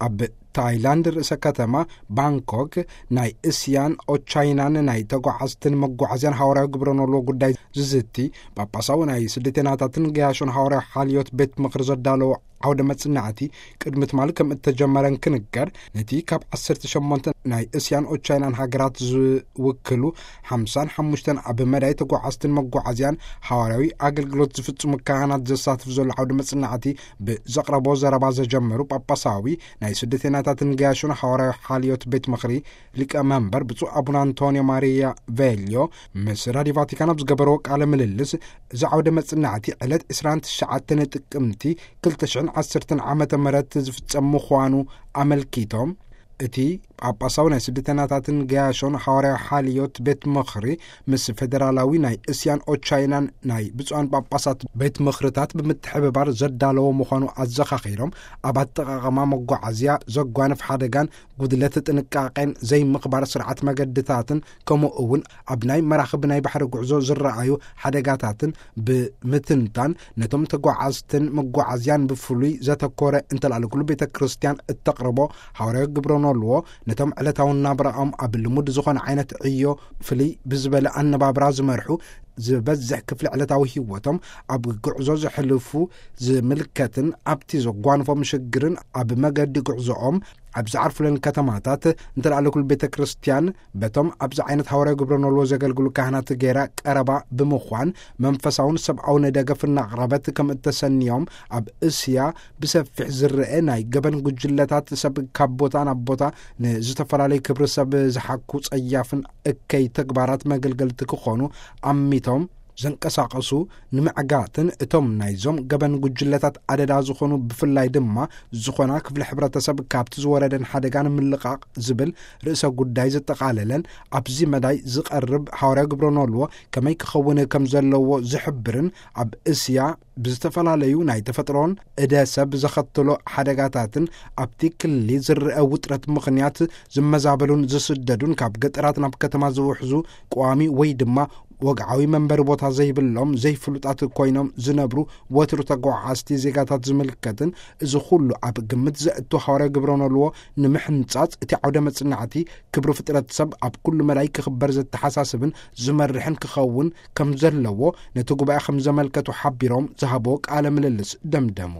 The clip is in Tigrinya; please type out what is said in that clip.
ኣብ ታይላንድ ርእሰ ከተማ ባንኮክ ናይ እስያን ኦቻይናን ናይ ተጓዓዝትን መጓዓዝያን ሃዋርያዊ ግብረ ኖልዎ ጉዳይ ዝዝቲ ጳጳሳዊ ናይ ስደተናታትን ገያሾን ሃዋርያዊ ሓልዮት ቤት ምኽሪ ዘዳለዎ ዓውደ መጽናዕቲ ቅድሚ ትማሊ ከም እተጀመረን ክንገር፣ ነቲ ካብ ዓሰርተ ሸሞንተ ናይ እስያን ኦቻይናን ሃገራት ዝውክሉ ሓምሳን ሓሙሽተን ኣብ መዳይ ተጓዓዝትን መጓዓዝያን ሃዋርያዊ ኣገልግሎት ዝፍጽሙ ካህናት ዘሳትፍ ዘሎ ዓውደ መጽናዕቲ ብዘቕረቦ ዘረባ ዘጀመሩ ጳጳሳዊ ናይ ስደተናታትን ገያሾን ሃዋርያዊ ሓልዮት ቤት ምኽሪ ሊቀ መንበር ብፁዕ ኣቡነ ኣንቶንዮ ማሪያ ቬልዮ ምስ ራዲዮ ቫቲካን ኣብ ዝገበርዎ ቃለ ምልልስ፣ እዚ ዓውደ መጽናዕቲ ዕለት ዕስራን ትሽዓተን ጥቅምቲ ክልተ ሽሕን ዓሰርተን ዓመተ ምህረት ዝፍጸም ምዃኑ ኣመልኪቶም፣ እቲ ጳጳሳዊ ናይ ስደተናታትን ገያሾን ሃዋርያዊ ሓልዮት ቤት ምኽሪ ምስ ፌደራላዊ ናይ እስያን ኦቻይናን ናይ ብፁዓን ጳጳሳት ቤት ምኽርታት ብምትሕብባር ዘዳለዎ ምዃኑ ኣዘኻኺሮም፣ ኣብ ኣጠቓቕማ መጓዓዝያ ዘጓንፍ ሓደጋን ጉድለት ጥንቃቄን ዘይምኽባር ስርዓት መገድታትን ከምኡ እውን ኣብ ናይ መራኽብ ናይ ባሕሪ ጉዕዞ ዝረኣዩ ሓደጋታትን ብምትንታን ነቶም ተጓዓዝትን መጓዓዝያን ብፍሉይ ዘተኮረ እንተላለ ኩሉ ቤተ ክርስቲያን እተቕርቦ ሃዋርያዊ ግብረ ኖልዎ ነቶም ዕለታዊ ናብራኦም ኣብ ልሙድ ዝኾነ ዓይነት ዕዮ ፍልይ ብዝበለ ኣነባብራ ዝመርሑ ዝበዝሕ ክፍሊ ዕለታዊ ህይወቶም ኣብ ጉዕዞ ዘሕልፉ ዝምልከትን ኣብቲ ዘጓንፎም ሽግርን ኣብ መገዲ ጉዕዞኦም ኣብ ዝዓርፉለን ከተማታት እንተላለ ኩሉ ቤተ ክርስቲያን በቶም ኣብዚ ዓይነት ሃዋርያዊ ግብረ ኖልዎ ዘገልግሉ ካህናት ገይራ ቀረባ ብምዃን መንፈሳውን ሰብኣውን ደገፍ እናቕረበት ከም እተሰንዮም ኣብ እስያ ብሰፊሕ ዝረአ ናይ ገበን ጉጅለታት ሰብ ካብ ቦታ ናብ ቦታ ንዝተፈላለዩ ክብሪ ሰብ ዝሓኩ ጸያፍን እከይ ተግባራት መገልገልቲ ክኾኑ ኣሚቶም ዘንቀሳቐሱ ንምዕጋትን እቶም ናይዞም ገበን ጉጅለታት ኣደዳ ዝኾኑ ብፍላይ ድማ ዝኾና ክፍሊ ሕብረተሰብ ካብቲ ዝወረደን ሓደጋ ንምልቓቕ ዝብል ርእሰ ጉዳይ ዘጠቓለለን ኣብዚ መዳይ ዝቐርብ ሃዋርያዊ ግብረ ኖልዎ ከመይ ክኸውን ከም ዘለዎ ዝሕብርን ኣብ እስያ ብዝተፈላለዩ ናይ ተፈጥሮን እደ ሰብ ዘኸትሎ ሓደጋታትን ኣብቲ ክሊ ዝረአ ውጥረት ምኽንያት ዝመዛበሉን ዝስደዱን ካብ ገጠራት ናብ ከተማ ዝውሕዙ ቀዋሚ ወይ ድማ ወግዓዊ መንበሪ ቦታ ዘይብሎም ዘይፍሉጣት ኮይኖም ዝነብሩ ወትሩ ተጓዓዝቲ ዜጋታት ዝምልከትን እዚ ኩሉ ኣብ ግምት ዘእቱ ሃዋርያዊ ግብረ ኖልዎ ንምሕንጻጽ እቲ ዓውደ መጽናዕቲ ክብሪ ፍጥረት ሰብ ኣብ ኩሉ መዳይ ክኽበር ዘተሓሳስብን ዝመርሕን ክኸውን ከም ዘለዎ ነቲ ጉባኤ ከም ዘመልከቱ ሓቢሮም ዝሃብዎ ቃለ ምልልስ ደምደሙ።